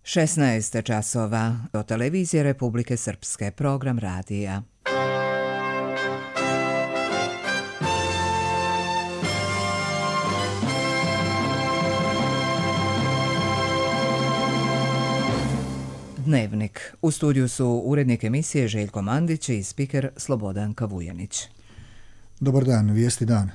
16 časova do televizije Republike Srpske, program radija. Dnevnik. U studiju su urednik emisije Željko Mandić i spiker Slobodanka Vujanić. Dobar dan, vijesti dana.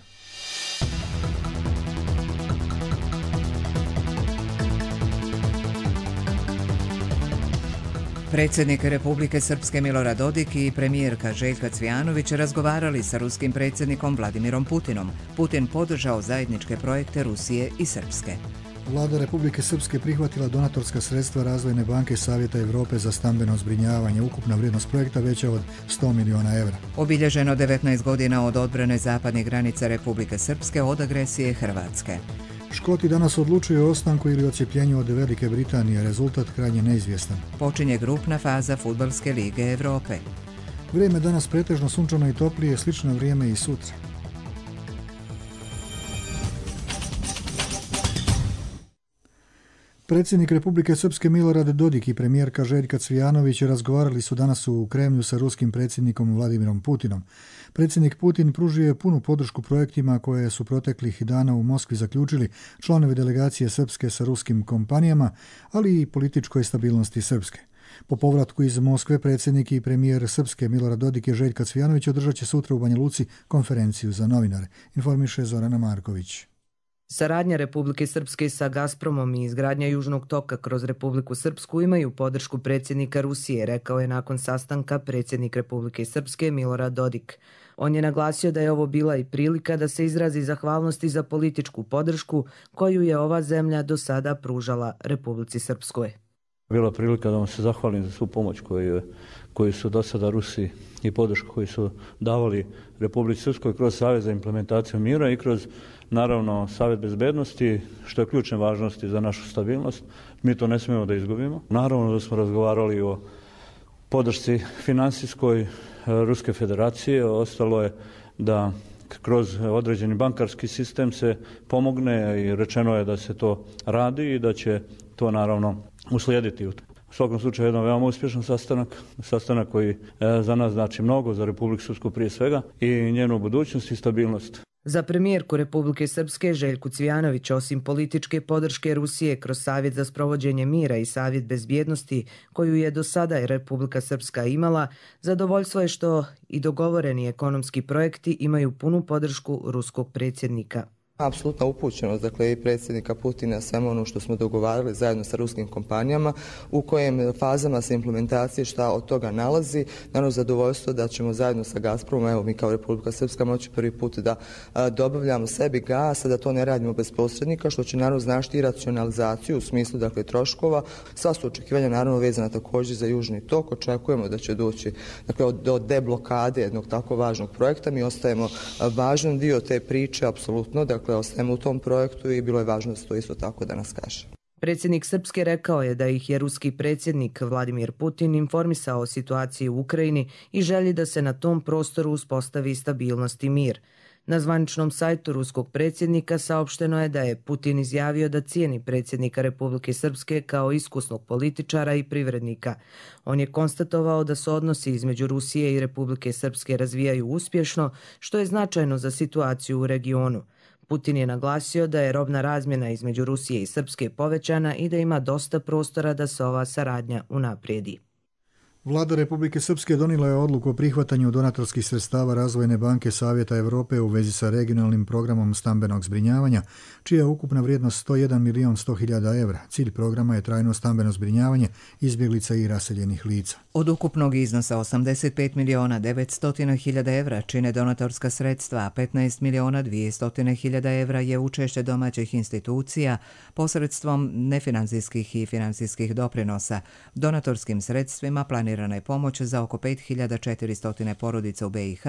Predsjednik Republike Srpske Milorad Dodik i premijerka Željka Cvijanović razgovarali sa ruskim predsjednikom Vladimirom Putinom. Putin podržao zajedničke projekte Rusije i Srpske. Vlada Republike Srpske prihvatila donatorska sredstva Razvojne banke Savjeta Europe za stambeno zbrinjavanje. Ukupna vrijednost projekta veća od 100 miliona evra. Obilježeno 19 godina od odbrane zapadnih granica Republike Srpske od agresije Hrvatske. Škoti danas odlučuju o ostanku ili odcijepljenju od Velike Britanije. Rezultat krajnje neizvjestan. Počinje grupna faza Fudbalske lige Europe. Vrijeme danas pretežno sunčano i toplije, slično vrijeme i sutra. Predsjednik Republike Srpske Milorad Dodik i premijerka Željka Cvijanović razgovarali su danas u Kremlju sa ruskim predsjednikom Vladimirom Putinom. Predsjednik Putin pružio je punu podršku projektima koje su proteklih dana u Moskvi zaključili članovi delegacije Srpske sa ruskim kompanijama, ali i političkoj stabilnosti Srpske. Po povratku iz Moskve predsjednik i premijer Srpske Milorad Dodik i Željka Cvijanović održat će sutra u Banja Luci konferenciju za novinare, informiše Zorana Marković. Saradnja Republike Srpske sa Gazpromom i izgradnja Južnog toka kroz Republiku Srpsku imaju podršku predsjednika Rusije, rekao je nakon sastanka predsjednik Republike Srpske Milorad Dodik. On je naglasio da je ovo bila i prilika da se izrazi zahvalnosti za političku podršku koju je ova zemlja do sada pružala Republici Srpskoj. Bila prilika da vam se zahvalim za svu pomoć koju su do sada Rusi i podršku koju su davali Republici Srpskoj kroz Savjet za implementaciju mira i kroz, naravno, Savjet bezbednosti, što je ključne važnosti za našu stabilnost. Mi to ne smijemo da izgubimo. Naravno da smo razgovarali o podršci finansijskoj Ruske federacije. Ostalo je da kroz određeni bankarski sistem se pomogne i rečeno je da se to radi i da će to naravno uslijediti. U svakom slučaju jedan veoma uspješan sastanak koji za nas znači mnogo, za Republiku Srpsku prije svega i njenu budućnost i stabilnost. Za premijerku Republike Srpske Željku Cvijanović, osim političke podrške Rusije kroz Savjet za sprovođenje mira i Savjet bezbjednosti koju je do sada Republika Srpska imala, zadovoljstvo je što i dogovoreni ekonomski projekti imaju punu podršku ruskog predsjednika. Apsolutna upućenost, dakle, i predsjednika Putina svemu ono što smo dogovarali zajedno sa ruskim kompanijama, u kojem fazama se implementacije šta od toga nalazi. Naravno, zadovoljstvo da ćemo zajedno sa Gazpromom, evo mi kao Republika Srpska moći prvi put da dobavljamo sebi gas, a da to ne radimo bez posrednika, što će naravno značiti i racionalizaciju u smislu, dakle, troškova. Sva su očekivanja naravno vezana također za Južni tok. Očekujemo da će doći, dakle, do deblokade jednog tako važnog projekta. Mi ostajemo važan dio te priče, apsolutno, dakle, ostajemo u tom projektu i bilo je važno da se to isto tako danas kaže. Predsjednik Srpske rekao je da ih je ruski predsjednik Vladimir Putin informisao o situaciji u Ukrajini i želji da se na tom prostoru uspostavi stabilnost i mir. Na zvaničnom sajtu ruskog predsjednika saopšteno je da je Putin izjavio da cijeni predsjednika Republike Srpske kao iskusnog političara i privrednika. On je konstatovao da se odnosi između Rusije i Republike Srpske razvijaju uspješno, što je značajno za situaciju u regionu. Putin je naglasio da je robna razmjena između Rusije i Srpske povećana i da ima dosta prostora da se ova saradnja unaprijedi. Vlada Republike Srpske donijela je odluku o prihvatanju donatorskih sredstava Razvojne banke Savjeta Europe u vezi sa regionalnim programom stambenog zbrinjavanja, čija je ukupna vrijednost 101 milion 100 hiljada evra. Cilj programa je trajno stambeno zbrinjavanje izbjeglica i raseljenih lica. Od ukupnog iznosa 85 miliona 900 hiljada evra čine donatorska sredstva, a 15 miliona 200 hiljada evra je učešće domaćih institucija posredstvom nefinancijskih i financijskih doprinosa. Donatorskim sredstvima planirana je pomoć za oko 5400 porodica u BiH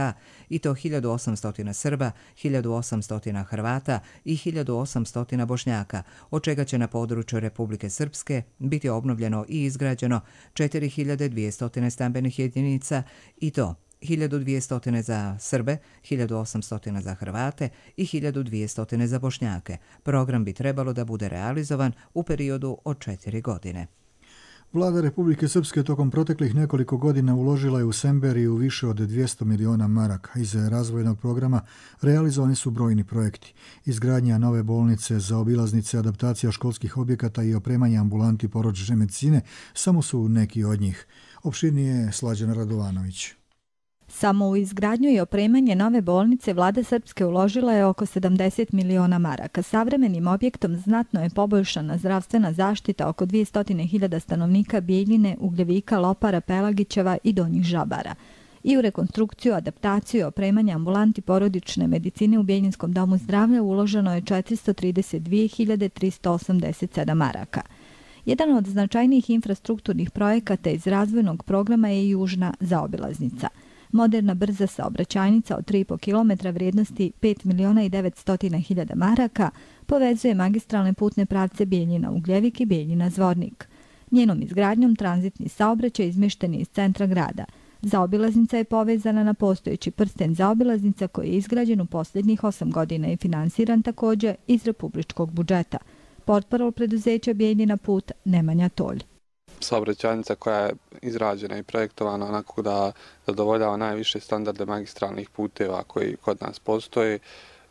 i to 1800 Srba, 1800 Hrvata i 1800 Bošnjaka, od čega će na području Republike Srpske biti obnovljeno i izgrađeno 4200 stambenih jedinica i to 1200 za Srbe, 1800 za Hrvate i 1200 za Bošnjake. Program bi trebalo da bude realizovan u periodu od 4 godine. Vlada Republike Srpske tokom proteklih nekoliko godina uložila je u Semberiju više od 200 miliona maraka. Iz razvojnog programa realizovani su brojni projekti. Izgradnja nove bolnice, zaobilaznice, adaptacija školskih objekata i opremanje ambulanti porodične medicine samo su neki od njih. Opširnije Slađana Radovanović. Samo u izgradnju i opremanje nove bolnice vlada Srpske uložila je oko 70 miliona maraka. Savremenim objektom znatno je poboljšana zdravstvena zaštita oko 200.000 stanovnika Bijeljine, Ugljevika, Lopara, Pelagićeva i Donjih Žabara. I u rekonstrukciju, adaptaciju i opremanje ambulanti porodične medicine u Bijeljinskom domu zdravlja uloženo je 432.387 maraka. Jedan od značajnijih infrastrukturnih projekata iz razvojnog programa je južna zaobilaznica. Moderna brza saobraćajnica od 3,5 km vrijednosti 5.900.000 maraka povezuje magistralne putne pravce Bijeljina-Ugljevik i Bijeljina-Zvornik. Njenom izgradnjom tranzitni saobraćaj izmješten je iz centra grada. Zaobilaznica je povezana na postojeći prsten zaobilaznica koji je izgrađen u posljednjih 8 godina i finansiran također iz republičkog budžeta. Portparol preduzeća Bijeljina put Nemanja Tolj. Saobraćajnica koja je izrađena i projektovana onako da zadovoljava najviše standarde magistralnih puteva koji kod nas postoje,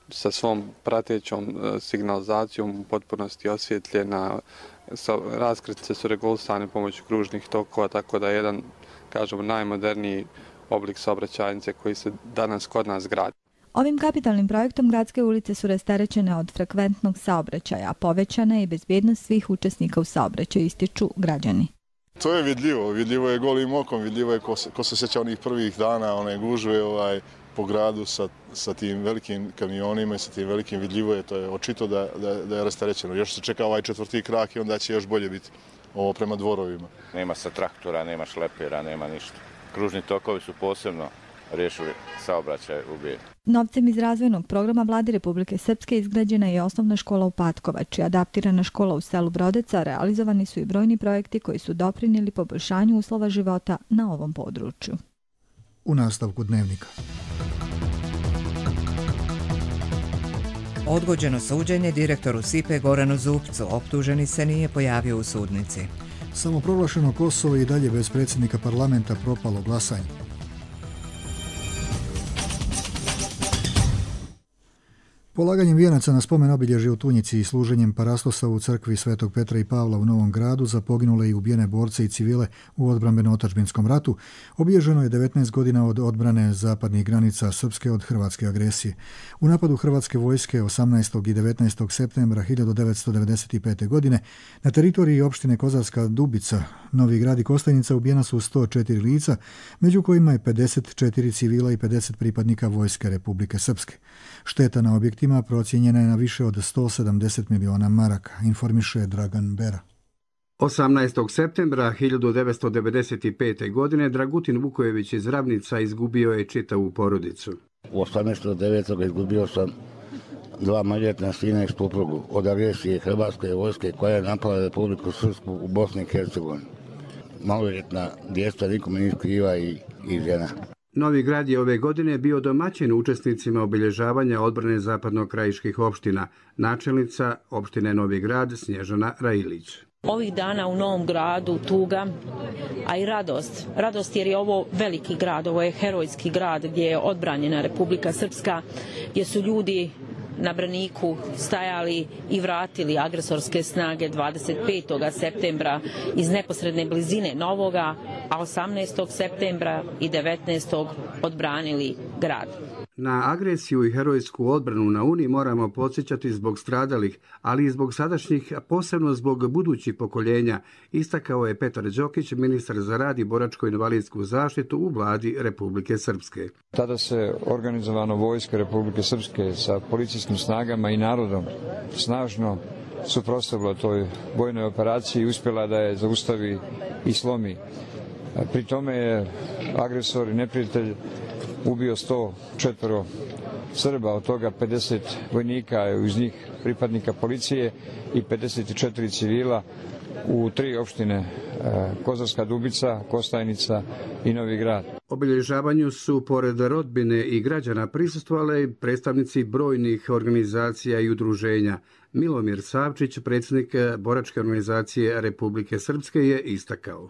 sa svom pratećom signalizacijom u potpunosti osvjetljena, raskrsnice su regulisane pomoću kružnih tokova, tako da je jedan, kažemo, najmoderniji oblik saobraćajnice koji se danas kod nas gradi. Ovim kapitalnim projektom gradske ulice su rasterećene od frekventnog saobraćaja, a povećana je bezbjednost svih učesnika u saobraćaju, ističu građani. To je vidljivo je golim okom, vidljivo je ko se sjeća onih prvih dana, one gužve po gradu sa tim velikim kamionima i sa tim velikim, vidljivo je, to je očito da je rasterećeno. Još se čeka ovaj 4. krak i onda će još bolje biti ovo prema dvorovima. Nema sa traktora, nema šlepera, nema ništa. Kružni tokovi su posebno riješili saobraćaj u Bijeljini. Novcem iz razvojnog programa Vlade Republike Srpske izgrađena je osnovna škola u Patkovači, adaptirana škola u selu Brodeca, realizovani su i brojni projekti koji su doprinijeli poboljšanju uslova života na ovom području. U nastavku dnevnika. Odgođeno suđenje direktoru SIPE Goranu Zupcu, optuženi se nije pojavio u sudnici. Samoproglašeno Kosovo i dalje bez predsjednika parlamenta, propalo glasanje. Polaganjem vijenaca na spomen obilježje u Tunjici i služenjem parastosa u crkvi Svetog Petra i Pavla u Novom Gradu za poginule i ubijene borce i civile u odbrambeno-otadžbinskom ratu obilježeno je 19 godina od odbrane zapadnih granica Srpske od hrvatske agresije. U napadu hrvatske vojske 18. i 19. septembra 1995. godine na teritoriji opštine Kozarska Dubica, Novi Grad i Kostajnica ubijena su 104 lica, među kojima je 54 civila i 50 pripadnika vojske Republike Srpske. Šteta na objektima procijenjena je na više od 170 miliona maraka, informiše Dragan Bera. 18. septembra 1995. godine Dragutin Vukojević iz Ravnica izgubio je čitavu porodicu. 18.9. izgubio sam 2 maloljetna sina i suprugu od agresije hrvatske vojske koja je napala Republiku Srpsku u Bosni i Hercegovini. Maloljetna djeca nikome nije kriva i žena. Novi Grad je ove godine bio domaćin učesnicima obilježavanja odbrane zapadno-krajiških opština, načelnica opštine Novi Grad Snježana Railić. Ovih dana u Novom Gradu tuga, a i radost. Radost jer je ovo veliki grad, ovo je herojski grad gdje je odbranjena Republika Srpska, gdje su ljudi na braniku stajali i vratili agresorske snage 25. septembra iz neposredne blizine Novoga, a 18. septembra i 19. odbranili grad. Na agresiju i herojsku odbranu na Uni moramo podsjećati zbog stradalih, ali i zbog sadašnjih, a posebno zbog budućih pokoljenja, istakao je Petar Đokić, ministar za rad i boračko-invalidsku zaštitu u vladi Republike Srpske. Tada se organizovano vojska Republike Srpske sa policijskim snagama i narodom snažno suprotstavila toj vojnoj operaciji i uspjela da je zaustavi i slomi. Pri tome je agresor i neprijatelj ubio 104 Srba, od toga 50 vojnika, uz njih pripadnika policije i 54 civila u 3 opštine Kozarska Dubica, Kostajnica i Novi Grad. Obilježavanju su pored rodbine i građana prisustvovali predstavnici brojnih organizacija i udruženja. Milomir Savčić, predsjednik boračke organizacije Republike Srpske, je istakao.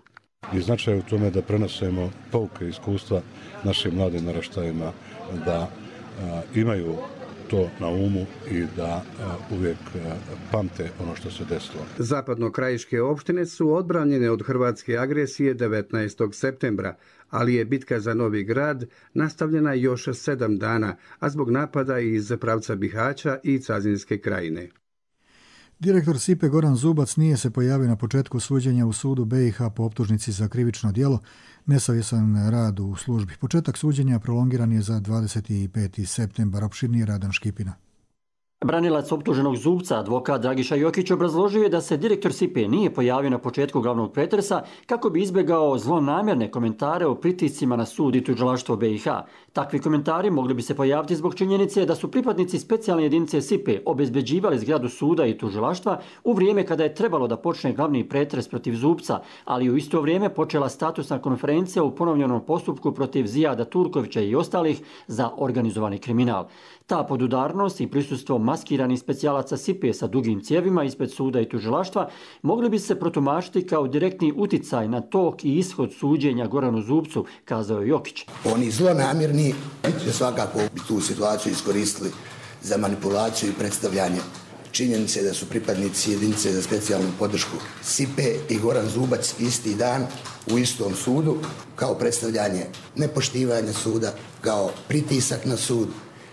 I značaj u tome da prenosimo pouke iskustva našim mladim naraštajima, da imaju to na umu i da uvijek pamte ono što se desilo. Zapadno-krajiške opštine su odbranjene od hrvatske agresije 19. septembra, ali je bitka za Novi Grad nastavljena još 7 dana, a zbog napada iz pravca Bihaća i Cazinske krajine. Direktor SIPE Goran Zubac nije se pojavio na početku suđenja u sudu BiH po optužnici za krivično djelo, nesavjestan rad u službi. Početak suđenja prolongiran je za 25. septembar. Opširnije Radan Škipina. Branilac optuženog Zubca, advokat Dragiša Jokić, obrazložio je da se direktor SIPE nije pojavio na početku glavnog pretresa kako bi izbjegao zlonamjerne komentare o pritiscima na sud i tužilaštvo BiH. Takvi komentari mogli bi se pojaviti zbog činjenice da su pripadnici specijalne jedinice SIPE obezbeđivali zgradu suda i tužilaštva u vrijeme kada je trebalo da počne glavni pretres protiv Zubca, ali u isto vrijeme počela statusna konferencija u ponovljenom postupku protiv Zijada Turkovića i ostalih za organizovani kriminal. Ta podudarnost i prisustvo maskiranih specijalaca SIPE sa dugim cijevima ispred suda i tužilaštva mogli bi se protumačiti kao direktni uticaj na tok i ishod suđenja Goranu Zubcu, kazao je Jokić. Oni zlonamjerni će svakako tu situaciju iskoristili za manipulaciju i predstavljanje činjenice da su pripadnici jedinice za specijalnu podršku SIPE i Goran Zubac isti dan u istom sudu, kao predstavljanje nepoštivanja suda, kao pritisak na sud,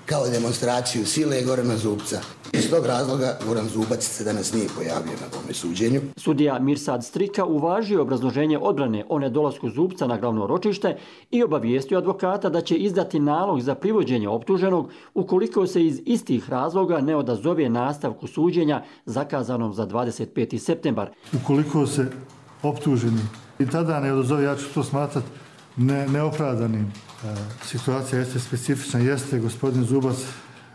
kao demonstraciju sile Gorana Zubca. Iz tog razloga Goran Zubac se danas nije pojavio na tome suđenju. Sudija Mirsad Strika uvažio obrazloženje odbrane o nedolasku Zubca na glavno ročište i obavijestio advokata da će izdati nalog za privođenje optuženog ukoliko se iz istih razloga ne odazove nastavku suđenja zakazanom za 25. septembar. Ukoliko se optuženi i tada ne odazove, ja ću to smatrati neopravdanim. Situacija jeste specifična, jeste gospodin Zubac,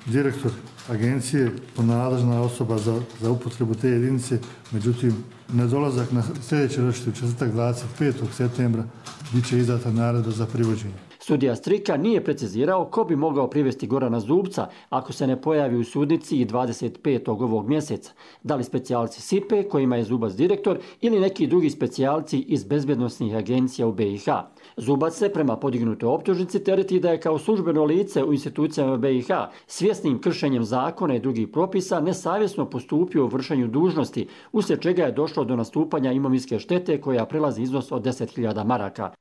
direktor agencije, nadležna osoba za upotrebu te jedinice, međutim, nedolazak na sljedeće ročište u četvrtak 25. septembra bit će izdata naredba za privođenje. Sudija Strika nije precizirao ko bi mogao privesti Gorana Zubca ako se ne pojavi u sudnici i 25. ovog mjeseca. Da li specijalci SIPE, kojima je Zubac direktor, ili neki drugi specijalci iz bezbjednosnih agencija u BiH. Zubac se prema podignutoj optužnici tereti da je kao službeno lice u institucijama BiH svjesnim kršenjem zakona i drugih propisa nesavjesno postupio u vršenju dužnosti, uslijed čega je došlo do nastupanja imovinske štete koja prelazi iznos od 10.000 maraka.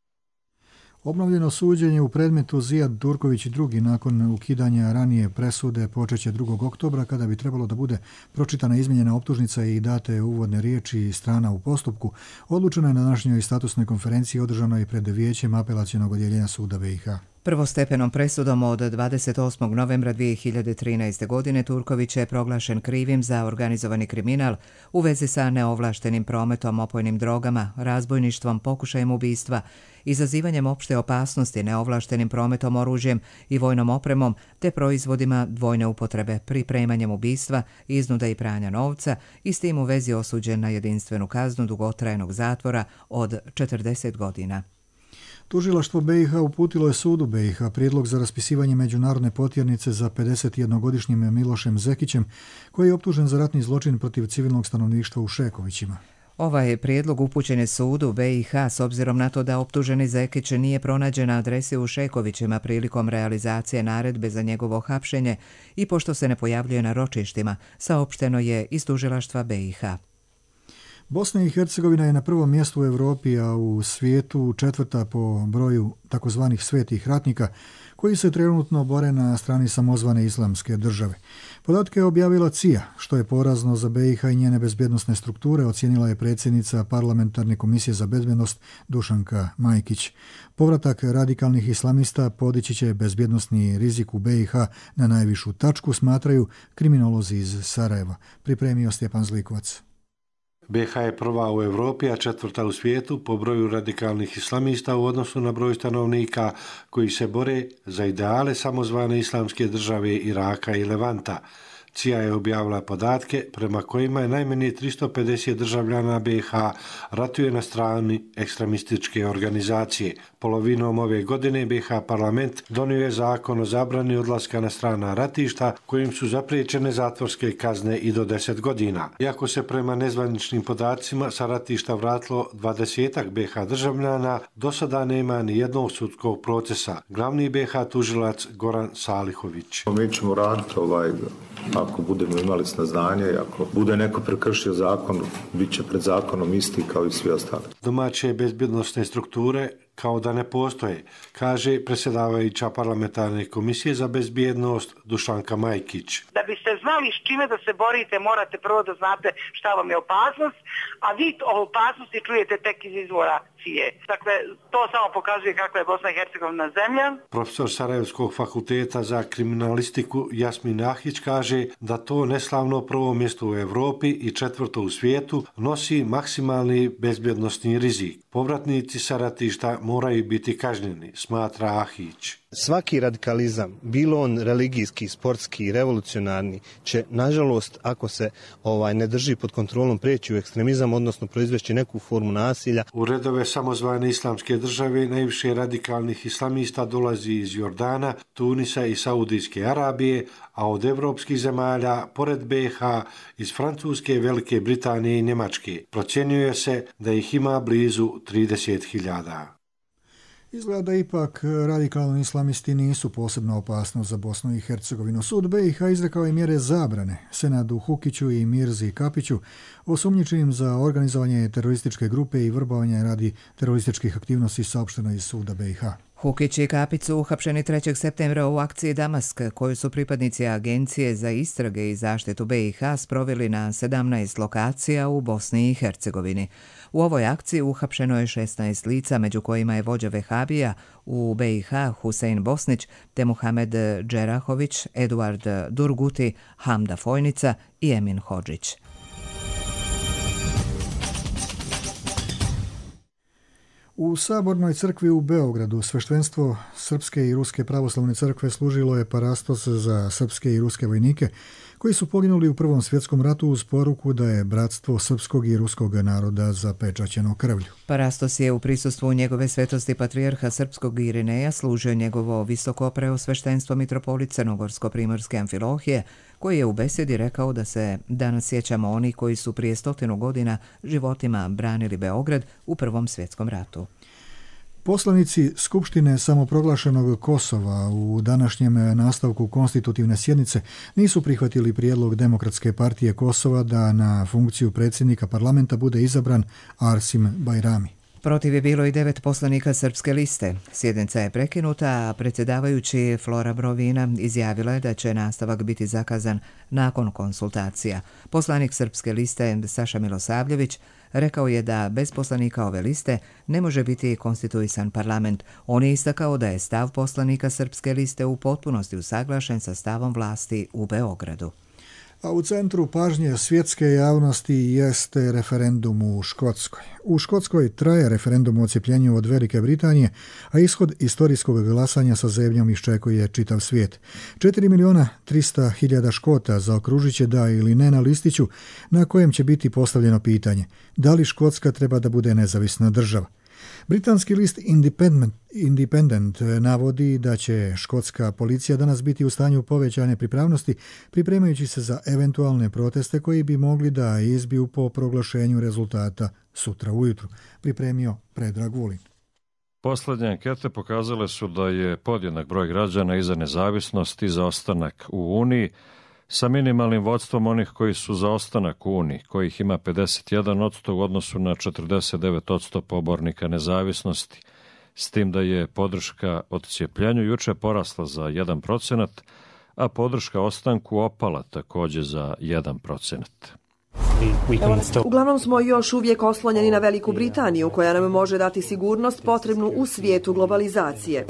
Obnovljeno suđenje u predmetu Zijad Turković i drugi nakon ukidanja ranije presude počeće 2. oktobra kada bi trebalo da bude pročitana izmijenjena optužnica i date uvodne riječi strana u postupku. Odlučeno je na današnjoj statusnoj konferenciji održanoj pred Vijećem apelacionog odjeljenja suda BiH. Prvostepenom presudom od 28. novembra 2013. godine Turković je proglašen krivim za organizovani kriminal u vezi sa neovlaštenim prometom opojnim drogama, razbojništvom, pokušajem ubistva, izazivanjem opšte opasnosti, neovlaštenim prometom oružjem i vojnom opremom te proizvodima dvojne upotrebe, pripremanjem ubistva, iznuda i pranja novca i s tim u vezi osuđen na jedinstvenu kaznu dugotrajnog zatvora od 40 godina. Tužilaštvo BiH uputilo je sudu BiH prijedlog za raspisivanje međunarodne potjernice za 51-godišnjim Milošem Zekićem, koji je optužen za ratni zločin protiv civilnog stanovništva u Šekovićima. Ovaj prijedlog upućen je sudu BiH s obzirom na to da optuženi Zekić nije pronađen na adresi u Šekovićima prilikom realizacije naredbe za njegovo hapšenje i pošto se ne pojavljuje na ročištima, saopšteno je iz tužilaštva BiH. Bosna i Hercegovina je na prvom mjestu u Europi, a u svijetu četvrta po broju takozvanih svetih ratnika, koji se trenutno bore na strani samozvane islamske države. Podatke je objavila CIA, što je porazno za BiH i njene bezbjednosne strukture, ocijenila je predsjednica Parlamentarne komisije za bezbjednost Dušanka Majkić. Povratak radikalnih islamista podići će bezbjednosni rizik u BiH na najvišu tačku, smatraju kriminolozi iz Sarajeva. Pripremio Stjepan Zlikovac. BiH je prva u Europi, a četvrta u svijetu po broju radikalnih islamista u odnosu na broj stanovnika koji se bore za ideale samozvane islamske države Iraka i Levanta. CIA je objavila podatke prema kojima je najmanje 350 državljana BiH ratuje na strani ekstremističke organizacije. Polovinom ove godine BiH parlament donio je zakon o zabrani odlaska na strana ratišta kojim su zapriječene zatvorske kazne i do 10 godina. Iako se prema nezvaničnim podacima sa ratišta vratilo 20 BiH državljana, do sada nema ni jednog sudskog procesa. Glavni BiH tužilac Goran Salihović. Mi ćemo raditi ako budemo imali saznanje, ako bude neko prekršio zakon, bit će pred zakonom isti kao i svi ostali. Domaće bezbjednosne strukture kao da ne postoje, kaže predsjedavajuća parlamentarne komisije za bezbjednost Dušanka Majkić. Da biste znali s čime da se borite, morate prvo da znate šta vam je opasnost, a vi o opasnosti čujete tek iz izvora CIA. Dakle, to samo pokazuje kakva je Bosna i Hercegovina zemlja. Profesor Sarajevskog fakulteta za kriminalistiku Jasmin Ahić kaže da to neslavno prvo mjesto u Europi i 4. u svijetu nosi maksimalni bezbjednosni rizik. Povratnici sa ratišta moraju biti kažnjeni, smatra Ahić. Svaki radikalizam, bilo on religijski, sportski, revolucionarni, će, nažalost, ako se ne drži pod kontrolom, prijeći u ekstremizam, odnosno proizvesti neku formu nasilja. U redove samozvane islamske države najviše radikalnih islamista dolazi iz Jordana, Tunisa i Saudijske Arabije, a od evropskih zemalja, pored BiH, iz Francuske, Velike Britanije i Njemačke. Procjenjuje se da ih ima blizu 30.000. Izgleda da ipak radikalni islamisti nisu posebno opasnost za Bosnu i Hercegovinu. Sud BiH izrekao je mjere zabrane Senadu Hukiću i Mirzi Kapiću, osumnjičenim za organizovanje terorističke grupe i vrbovanje radi terorističkih aktivnosti, saopšteno iz suda BiH. Hukić i Kapić su uhapšeni 3. septembra u akciji Damask, koju su pripadnici Agencije za istrage i zaštitu BiH sproveli na 17 lokacija u Bosni i Hercegovini. U ovoj akciji uhapšeno je 16 lica, među kojima je vođa Vehabija u BiH Husein Bosnić, te Muhamed Džerahović, Eduard Durguti, Hamda Fojnica i Emin Hodžić. U Sabornoj crkvi u Beogradu sveštenstvo Srpske i Ruske pravoslavne crkve služilo je parastos za srpske i ruske vojnike koji su poginuli u Prvom svjetskom ratu uz poruku da je bratstvo srpskog i ruskog naroda zapečaćeno krvlju. Parastos je u prisustvu njegove svetosti patrijarha srpskog Irineja služio njegovo visoko preosveštenstvo mitropolit Crnogorsko-primorske Amfilohije, koji je u besedi rekao da se danas sjećamo oni koji su prije 100 godina životima branili Beograd u Prvom svjetskom ratu. Poslanici Skupštine samoproglašenog Kosova u današnjem nastavku konstitutivne sjednice nisu prihvatili prijedlog Demokratske partije Kosova da na funkciju predsjednika parlamenta bude izabran Arsim Bajrami. Protiv je bilo i 9 poslanika Srpske liste. Sjednica je prekinuta, a predsjedavajući Flora Brovina izjavila je da će nastavak biti zakazan nakon konsultacija. Poslanik Srpske liste Saša Milosavljević rekao je da bez poslanika ove liste ne može biti konstituisan parlament. On je istakao da je stav poslanika Srpske liste u potpunosti usaglašen sa stavom vlasti u Beogradu. A u centru pažnje svjetske javnosti jeste referendum u Škotskoj. U Škotskoj traje referendum o odcijepljenju od Velike Britanije, a ishod istorijskog glasanja sa zemljom iščekuje čitav svijet. 4.300.000 Škota zaokružit će da ili ne na listiću na kojem će biti postavljeno pitanje da li Škotska treba da bude nezavisna država. Britanski list Independent navodi da će škotska policija danas biti u stanju povećane pripravnosti, pripremajući se za eventualne proteste koji bi mogli da izbiju po proglašenju rezultata sutra ujutru, pripremio Predrag Vulin. Posljednje ankete pokazale su da je podjednak broj građana i za nezavisnost i za ostanak u Uniji, sa minimalnim vodstvom onih koji su za ostanak u Uniji, kojih ima 51% u odnosu na 49% pobornika nezavisnosti, s tim da je podrška odcijepljenju juče porasla za 1%, a podrška ostanku opala također za 1%. Uglavnom smo još uvijek oslonjeni na Veliku Britaniju, koja nam može dati sigurnost potrebnu u svijetu globalizacije.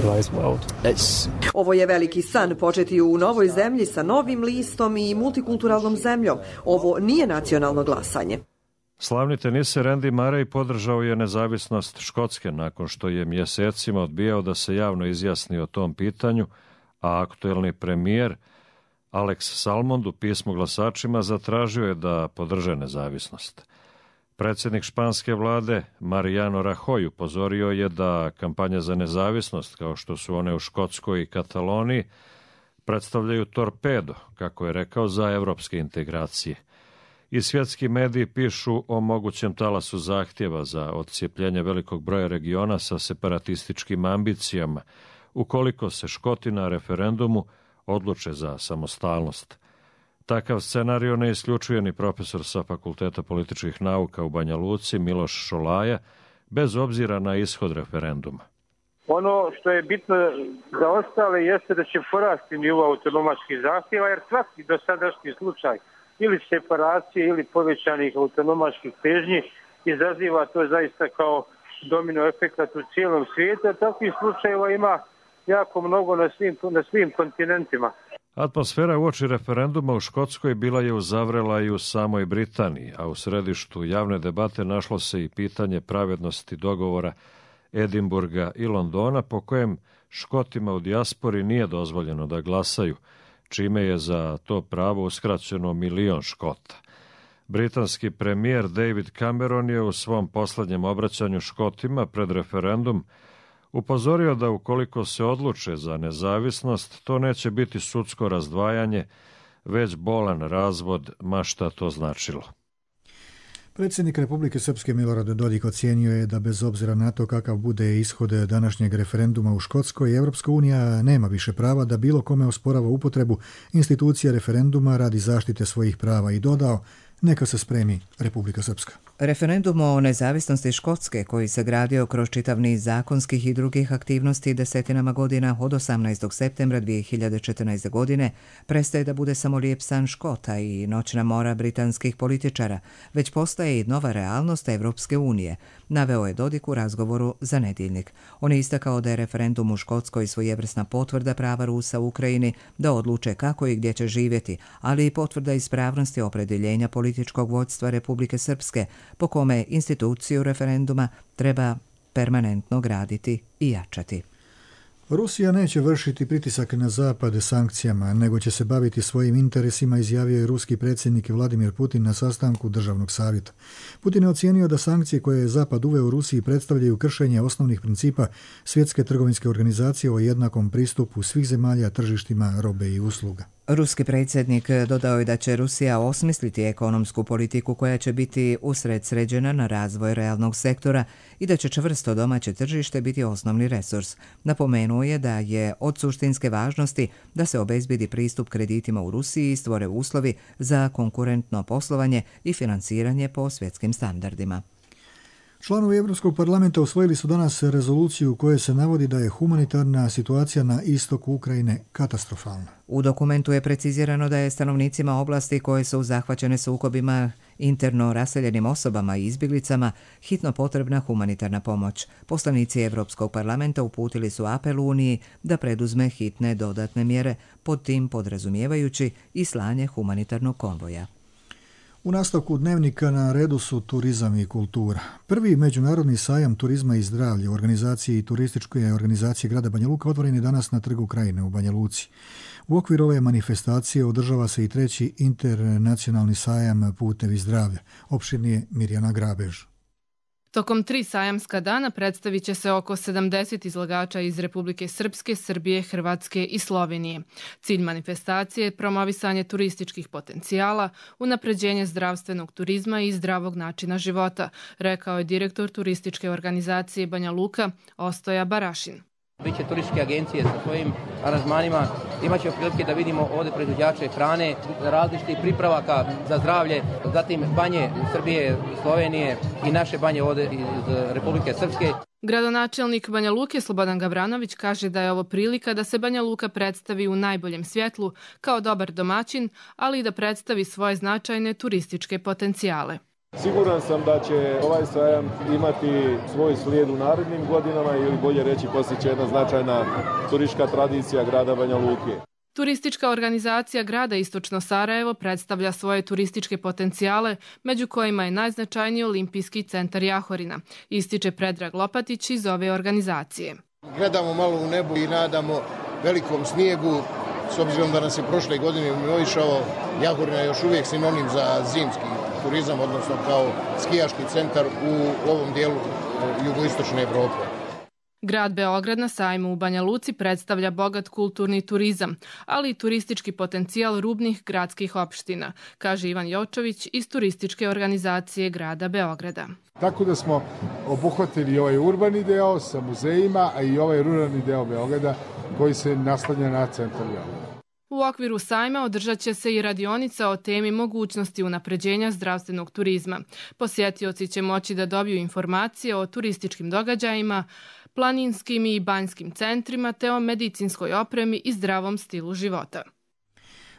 Ovo je veliki san, početi u novoj zemlji sa novim listom i multikulturalnom zemljom. Ovo nije nacionalno glasanje. Slavni teniser Andy Murray podržao je nezavisnost Škotske nakon što je mjesecima odbijao da se javno izjasni o tom pitanju, a aktuelni premijer Alex Salmond u pismu glasačima zatražio je da podrže nezavisnost. Predsjednik španske vlade Mariano Rajoy upozorio je da kampanja za nezavisnost, kao što su one u Škotskoj i Kataloniji, predstavljaju torpedo, kako je rekao, za evropske integracije. I svjetski mediji pišu o mogućem talasu zahtjeva za odcijepljenje velikog broja regiona sa separatističkim ambicijama, ukoliko se Škoti na referendumu odluče za samostalnost. Takav scenario ne isključuje ni profesor sa Fakulteta političkih nauka u Banja Luci Miloš Šolaja, bez obzira na ishod referenduma. Ono što je bitno za ostale jeste da će porasti nivo autonomačkih zahtjeva, jer svaki dosadašnji slučaj ili separacije ili povećanih autonomačkih težnji izaziva to zaista kao domino efekat u cijelom svijetu, a takvih slučajeva ima jako mnogo na svim kontinentima. Atmosfera uoči referenduma u Škotskoj bila je uzavrela i u samoj Britaniji, a u središtu javne debate našlo se i pitanje pravednosti dogovora Edinburga i Londona, po kojem Škotima u dijaspori nije dozvoljeno da glasaju, čime je za to pravo uskraćeno 1 milion Škota. Britanski premijer David Cameron je u svom posljednjem obraćanju Škotima pred referendum upozorio da ukoliko se odluče za nezavisnost, to neće biti sudsko razdvajanje, već bolan razvod, ma šta to značilo. Predsjednik Republike Srpske Milorad Dodik ocijenio je da bez obzira na to kakav bude ishod današnjeg referenduma u Škotskoj, Europska unija nema više prava da bilo kome osporava upotrebu institucija referenduma radi zaštite svojih prava i dodao: neka se spremi Republika Srpska. Referendum o nezavisnosti Škotske, koji se gradio kroz čitav niz zakonskih i drugih aktivnosti desetinama godina od 18. septembra 2014. godine, prestaje da bude samo lijep san Škota i noćna mora britanskih političara, već postaje i nova realnost Evropske unije, naveo je Dodik u razgovoru za Nedjeljnik. On je istakao da je referendum u Škotskoj svojevrsna potvrda prava Rusa u Ukrajini da odluče kako i gdje će živjeti, ali i potvrda ispravnosti opredjeljenja političkog vodstva Republike Srpske, po kome instituciju referenduma treba permanentno graditi i jačati. Rusija neće vršiti pritisak na Zapad sankcijama, nego će se baviti svojim interesima, izjavio je ruski predsjednik Vladimir Putin na sastanku Državnog savjeta. Putin je ocijenio da sankcije koje je Zapad uveo u Rusiji predstavljaju kršenje osnovnih principa Svjetske trgovinske organizacije o jednakom pristupu svih zemalja tržištima robe i usluga. Ruski predsjednik dodao je da će Rusija osmisliti ekonomsku politiku koja će biti usredsređena na razvoj realnog sektora i da će čvrsto domaće tržište biti osnovni resurs. Napomenuo je da je od suštinske važnosti da se obezbedi pristup kreditima u Rusiji i stvore uslovi za konkurentno poslovanje i financiranje po svjetskim standardima. Članovi Europskog parlamenta usvojili su danas rezoluciju u kojoj se navodi da je humanitarna situacija na istoku Ukrajine katastrofalna. U dokumentu je precizirano da je stanovnicima oblasti koje su zahvaćene sukobima, interno raseljenim osobama i izbjeglicama hitno potrebna humanitarna pomoć. Poslanici Europskog parlamenta uputili su apel Uniji da preduzme hitne dodatne mjere, pod tim podrazumijevajući i slanje humanitarnog konvoja. U nastavku dnevnika na redu su turizam i kultura. Prvi međunarodni sajam turizma i zdravlja u organizaciji turističke organizacije grada Banja Luka otvoren je danas na Trgu Krajine u Banja Luci. U okviru ove manifestacije održava se i treći internacionalni sajam Putevi zdravlja. Opširnije Mirjana Grabež. Tokom 3 sajamska dana predstavit će se oko 70 izlagača iz Republike Srpske, Srbije, Hrvatske i Slovenije. Cilj manifestacije je promovisanje turističkih potencijala, unapređenje zdravstvenog turizma i zdravog načina života, rekao je direktor turističke organizacije Banja Luka Ostoja Barašin. Biće turističke agencije sa svojim aranžmanima, imat će prilike da vidimo ovdje proizvođače hrane, različitih pripravaka za zdravlje, zatim banje Srbije, Slovenije i naše banje ovdje iz Republike Srpske. Gradonačelnik Banja Luke Slobodan Gavranović kaže da je ovo prilika da se Banja Luka predstavi u najboljem svjetlu kao dobar domaćin, ali i da predstavi svoje značajne turističke potencijale. Siguran sam da će ovaj sajam imati svoj slijed u narednim godinama ili bolje reći postići jedna značajna turistička tradicija grada Banja Luke. Turistička organizacija grada Istočno Sarajevo predstavlja svoje turističke potencijale, među kojima je najznačajniji Olimpijski centar Jahorina, ističe Predrag Lopatić iz ove organizacije. Gledamo malo u nebu i nadamo velikom snijegu s obzirom da nas je prošle godine mimoišao, Jahorina je još uvijek sinonim za zimski turizam, odnosno kao skijaški centar u ovom dijelu jugoistočne Evrope. Grad Beograd na sajmu u Banja Luci predstavlja bogat kulturni turizam, ali i turistički potencijal rubnih gradskih opština, kaže Ivan Jočović iz turističke organizacije grada Beograda. Tako da smo obuhvatili ovaj urbani deo sa muzejima, a i ovaj ruralni deo Beograda koji se naslanja na centar Beograda. U okviru sajma održat će se i radionica o temi mogućnosti unapređenja zdravstvenog turizma. Posjetioci će moći da dobiju informacije o turističkim događajima, planinskim i banjskim centrima te o medicinskoj opremi i zdravom stilu života.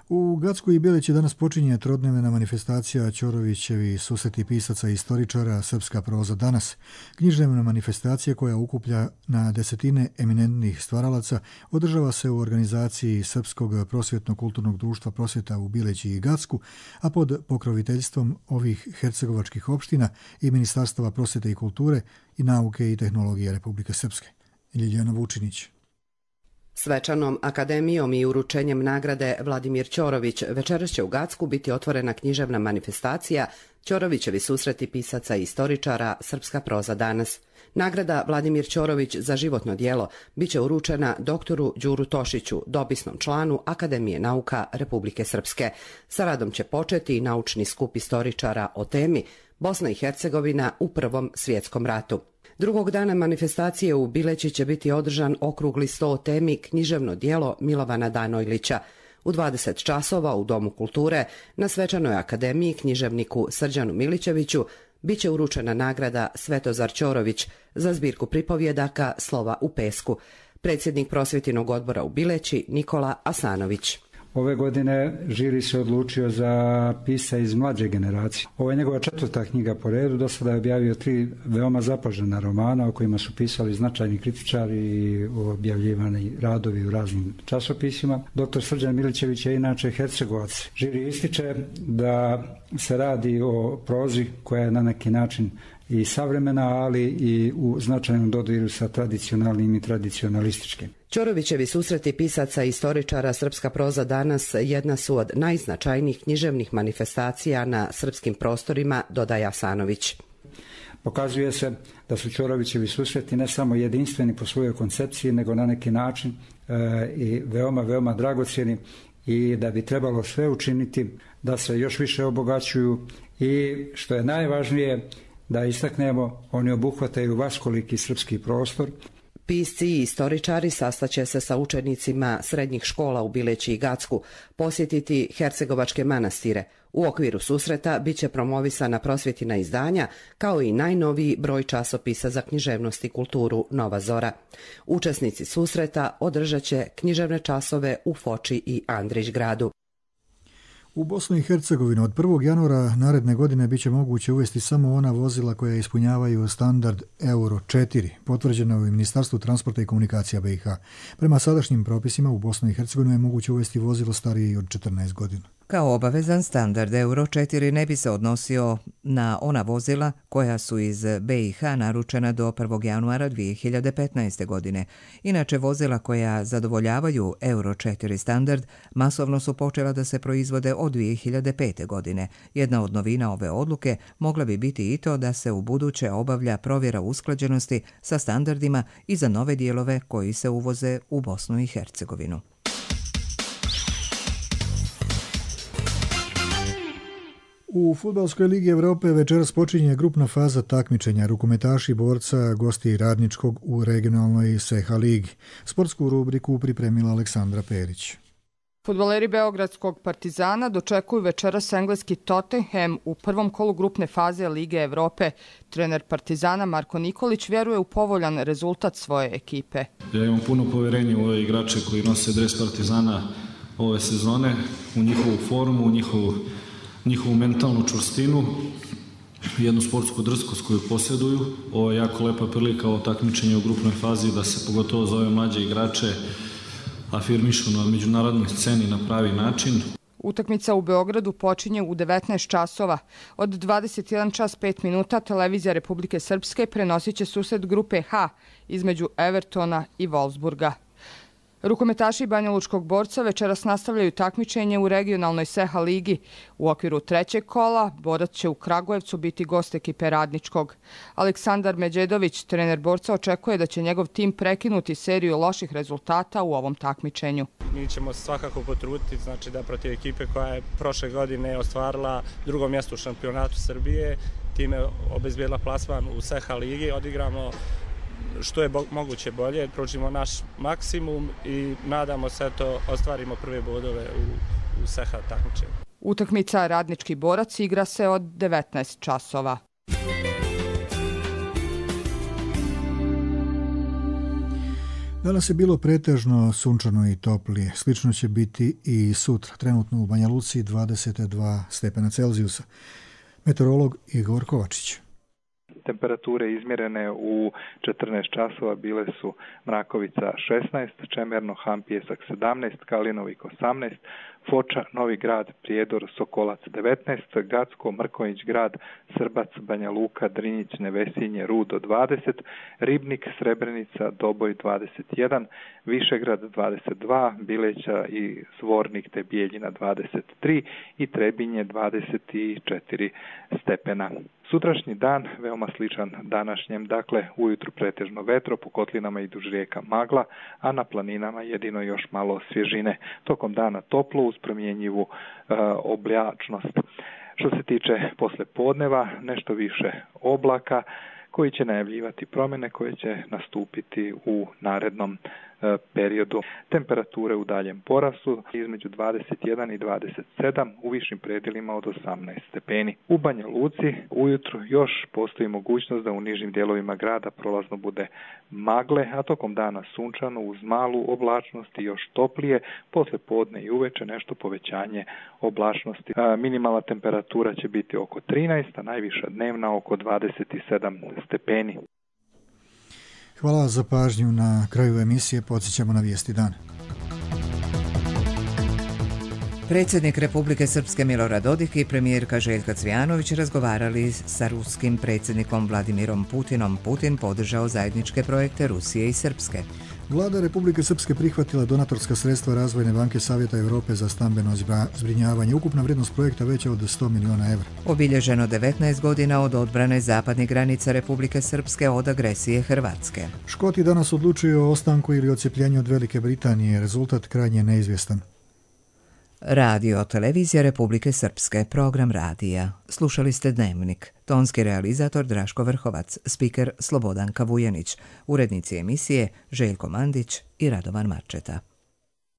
U Gacku i Bileći danas počinje trodnevna manifestacija Ćorovićevi susreti pisaca i istoričara Srpska proza danas. Književna manifestacija koja ukuplja na desetine eminentnih stvaralaca održava se u organizaciji Srpskog prosvjetno-kulturnog društva prosvjeta u Bileći i Gacku, a pod pokroviteljstvom ovih hercegovačkih opština i Ministarstava prosvjete i kulture i nauke i tehnologije Republike Srpske. Ljiljana Vučinić. Svečanom akademijom i uručenjem nagrade Vladimir Ćorović večeras će u Gacku biti otvorena književna manifestacija Ćorovićevi susreti pisaca i istoričara Srpska proza danas. Nagrada Vladimir Ćorović za životno djelo biće uručena doktoru Đuru Tošiću, dopisnom članu Akademije nauka Republike Srpske. Sa radom će početi i naučni skup istoričara o temi Bosna i Hercegovina u Prvom svjetskom ratu. Drugog dana manifestacije u Bileći će biti održan okrugli sto o temi književno djelo Milovana Danojlića. U 20 časova u Domu kulture na svečanoj akademiji književniku Srđanu Milićeviću biće uručena nagrada Svetozar Ćorović za zbirku pripovjedaka Slova u pesku. Predsjednik prosvjetinog odbora u Bileći Nikola Asanović. Ove godine žiri se odlučio za pisca iz mlađe generacije. Ovo je njegova 4. knjiga po redu. Do sada je objavio 3 veoma zapažena romana o kojima su pisali značajni kritičari i objavljivani radovi u raznim časopisima. Dr. Srđan Milićević je inače Hercegovac. Žiri ističe da se radi o prozi koja je na neki način i savremena, ali i u značajnom dodiru sa tradicionalnim i tradicionalističkim. Ćorovićevi susreti pisaca i istoričara Srpska proza danas jedna su od najznačajnijih književnih manifestacija na srpskim prostorima, dodaje Asanović. Pokazuje se da su Ćorovićevi susreti ne samo jedinstveni po svojoj koncepciji, nego na neki način i veoma dragocjeni i da bi trebalo sve učiniti da se još više obogaćuju i, što je najvažnije, da istaknemo, oni obuhvataju vaskoliki srpski prostor. Pisci i istoričari sastaće se sa učenicima srednjih škola u Bileći i Gacku, posjetiti hercegovačke manastire. U okviru susreta bit će promovisana prosvjetina izdanja, kao i najnoviji broj časopisa za književnost i kulturu Nova Zora. Učesnici susreta održat će književne časove u Foči i Andrić gradu. U Bosnu i Hercegovinu od 1. januara naredne godine biće moguće uvesti samo ona vozila koja ispunjavaju standard Euro 4, potvrđeno u Ministarstvu transporta i komunikacija BiH. Prema sadašnjim propisima u Bosnu i Hercegovinu je moguće uvesti vozilo starije od 14 godina. Kao obavezan standard Euro 4 ne bi se odnosio na ona vozila koja su iz BiH naručena do 1. januara 2015. godine. Inače, vozila koja zadovoljavaju Euro 4 standard masovno su počela da se proizvode od 2005. godine. Jedna od novina ove odluke mogla bi biti i to da se u buduće obavlja provjera usklađenosti sa standardima i za nove dijelove koji se uvoze u Bosnu i Hercegovinu. U Fudbalskoj ligi Evrope večeras počinje grupna faza takmičenja. Rukometaši borca gosti Radničkog u regionalnoj Seha ligi. Sportsku rubriku pripremila Aleksandra Perić. Fudbaleri Beogradskog Partizana dočekuju večeras engleski Tottenham u prvom kolu grupne faze Lige Evrope. Trener Partizana Marko Nikolić vjeruje u povoljan rezultat svoje ekipe. Ja imam puno poverenja u ove igrače koji nose dres Partizana ove sezone, u njihovu formu, u njihovu mentalnu čvrstinu, jednu sportsku drskost koju posjeduju. Ovo je jako lepa prilika, ovo takmičenje u grupnoj fazi, da se pogotovo za ove mlađe igrače afirmišu na međunarodnoj sceni na pravi način. Utakmica u Beogradu počinje u 19 časova. Od 21 čas 5 minuta televizija Republike Srpske prenosit će susret grupe H između Evertona i Wolfsburga. Rukometaši Banjalučkog Borca večeras nastavljaju takmičenje u regionalnoj Seha ligi. U okviru trećeg kola Borac će u Kragujevcu biti gost ekipe Radničkog. Aleksandar Međedović, trener Borca, očekuje da će njegov tim prekinuti seriju loših rezultata u ovom takmičenju. Mi ćemo se svakako potruditi, znači da protiv ekipe koja je prošle godine ostvarila drugo mjesto u šampionatu Srbije, time obezbijedila plasman u Seha ligi, odigramo što je moguće bolje, pružimo naš maksimum i nadamo se to ostvarimo prve bodove u Seha takmičenju. Utakmica Radnički Borac igra se od 19 časova. Danas je bilo pretežno sunčano i toplije. Slično će biti i sutra. Trenutno u Banja Luci 22 stepena Celzijusa. Meteorolog Igor Kovačić. Temperature izmjerene u 14 časova bile su Mrakovica 16, Čemerno, Han Pijesak 17, Kalinovik 18, Foča, Novi Grad, Prijedor, Sokolac 19, Gacko, Mrkonjić Grad, Srbac, Banja Luka, Drinjić, Nevesinje, Rudo 20, Ribnik, Srebrenica, Doboj 21, Višegrad 22, Bileća i Zvornik te Bijeljina 23 i Trebinje 24 stepena. Sutrašnji dan veoma sličan današnjem, dakle ujutru pretežno vetro, po kotlinama i duž rijeka magla, a na planinama jedino još malo svježine. Tokom dana toplo uz promjenjivu oblačnost. Što se tiče poslijepodneva, nešto više oblaka koji će najavljivati promjene koje će nastupiti u narednom periodu. Temperature u daljem porastu između 21 i 27, u višim predjelima od 18 stepeni. U Banja Luci ujutru još postoji mogućnost da u nižim dijelovima grada prolazno bude magle, a tokom dana sunčano uz malu oblačnost i još toplije, poslije podne i uveče nešto povećanje oblačnosti. Minimalna temperatura će biti oko 13, a najviša dnevna oko 27 stepeni. Hvala za pažnju. Na kraju emisije podsjećamo na vijesti dana. Predsjednik Republike Srpske Milorad Dodik i premijerka Željka Cvijanović razgovarali sa ruskim predsjednikom Vladimirom Putinom. Putin podržao zajedničke projekte Rusije i Srpske. Vlada Republike Srpske prihvatila donatorska sredstva Razvojne banke Savjeta Europe za stambeno zbrinjavanje. Ukupna vrijednost projekta veća od 100 miliona evra. Obilježeno 19 godina od odbrane zapadnih granica Republike Srpske od agresije Hrvatske. Škoti danas odlučuju o ostanku ili odcepljenju od Velike Britanije. Rezultat krajnje neizvjestan. Radio Televizija Republike Srpske, program radija. Slušali ste Dnevnik. Tonski realizator Draško Vrhovac, spiker Slobodanka Vujanić, urednici emisije Željko Mandić i Radovan Marčeta.